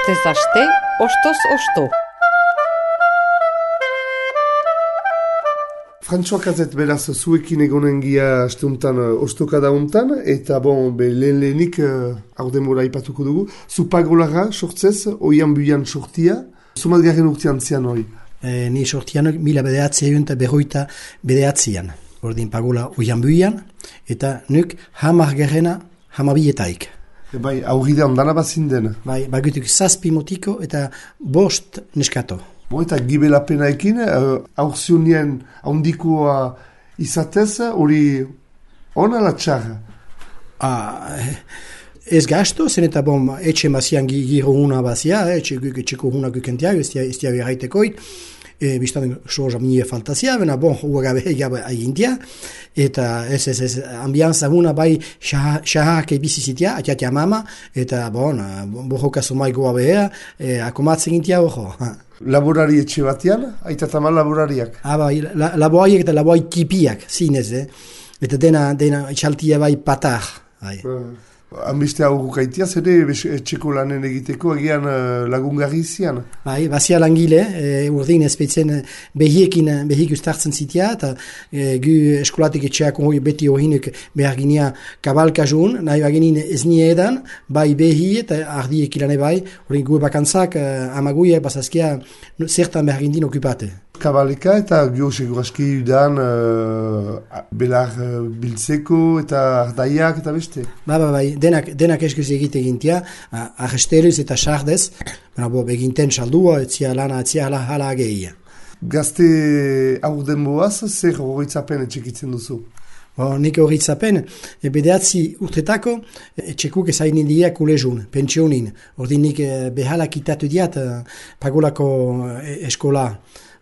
Astez aste, ostoz osto. Frantxoak azet beraz zuekin egonen gia asteuntan ostokada untan, eta lehenik hau demora ipatuko dugu. Zupagolara sortzez, oian buian sortia, zumat garen urtean zian hori? Ni sortian mila bedeatzea eta berroita bedeatzean. Ordin pagola oian buian, eta nuk hamar garrena hamabietaik. Bai, aurridean dana bazinden. Bai, bagutuk zazpi motiko eta bost neskato. Eta gibelapenaekin, aurzionien handikoa izatez, hori ona la txarra? Ez gasto, zen eta etxe bazian giro huna bazia, etxeko huna gukentia, ez dia berraitekoit, biztan soja mie faltazia, bena huagabe egintia, eta ez ambianza huna bai xahak ebizizitia, atiatia mama, eta bohoka somai goa behea, akomatzen gintia boho. Laborari etxe batean, aitatama laborariak? Bai, laborariak eta laborari tipiak, zinez, eta dena etxaltia bai patar. Hanbiste aurrukaitia, zede etxeko lanen egiteko egian lagungarri zian? Bai, bazia langile, urdin ezpetzen behik ustartzen zitia, eta gu eskolatik etxeak beti horinek behar ginia kabalkazun, nahi bagenin ez nie edan, bai behi eta ardiek ilane bai, hori gu bakantzak amaguia bazazkia zertan behar gindin okupate. Kabaleka eta gio seguraski udan belar biltzeko eta ardaiak eta beste? Bai, denak eskuz egite egintia, arresteluz eta sardez, eginten saldua, etzia lana, etzia hala gehiagia. Gazte aurden boaz, zer horretzapen etxekitzen duzu? Nik horretzapen, bedeatzi urtetako, etxekuk ezainin diak kulezun, pensionin. Ordin nik behalak itatu diat pagolako eskola.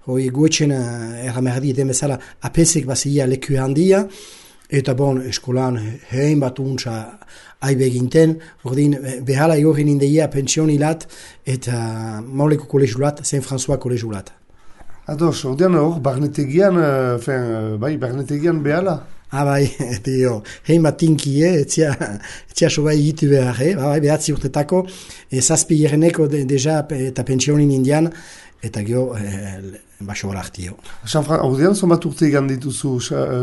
Hoi guetxen erramerdi eden bezala apesek bazia leku handia, eta eskolan hein bat untsa aibe ginten, ordin behala egorren indeia pensionilat eta mauleko kolegulat, Saint François kolegulat. Ados, ordean hor, barnetegian behala? Bai, hein bat tinkie, etzia sobai egitu behar, behatzi urtetako, zazpi gereneko deja eta pensionin indian, eta gio baso horaktio. Ordean, zonbat urte egan dituzu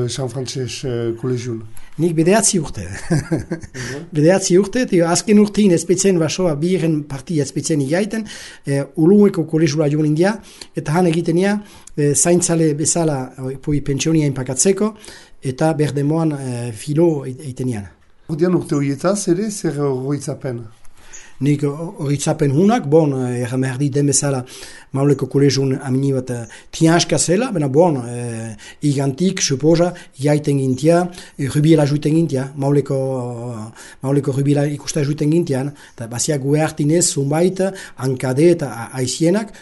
San Frances kolegiun? Nik bedeatzi urte. Bedeatzi urte, eta azken urtein ezpetzen basoa biren partia ezpetzen igaiten, ulueko kolegiula joan india, eta han egitenia zaintzale bezala pensionia inpakatzeko, eta berdemoan filo eitenian. Ordean urte horietaz ere, zer horretzapen? Nik horitzapen hunak, erramerdi den bezala mauleko kolegiun amini bat tianska zela, igantik, suposa, jaiten gintia, rubiela juiten gintia, mauleko rubiela ikusta juiten gintian, eta bazia gue hartinez, zumbait, hankade eta aizienak,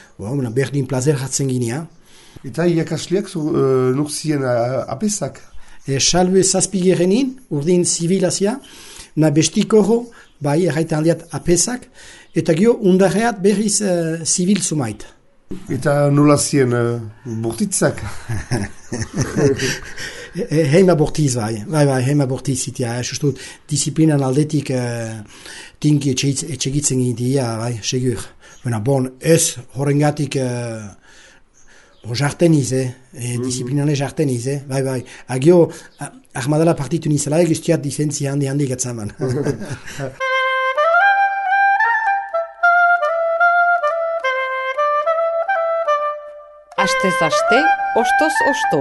berdin plazer hartzen ginia. Eta iakasliak nurzien apesak? Salve zazpigerenin, urdin zibilazia, na bestiko bai, erraita handiat apesak, eta gio undarreat berriz zibil zumait. Eta nola zien bortitzak? Heima bortiz bai, heima bortiz zitia, sustut disiplinan aldetik tinki etxegitzen gintia, bai, segur. Ez horrengatik jarteniz, disiplinane jarteniz, bai. Agio, ahmadala partitu nizela guztiat difentzi handi gatzaman. Astez aste, ostoz osto.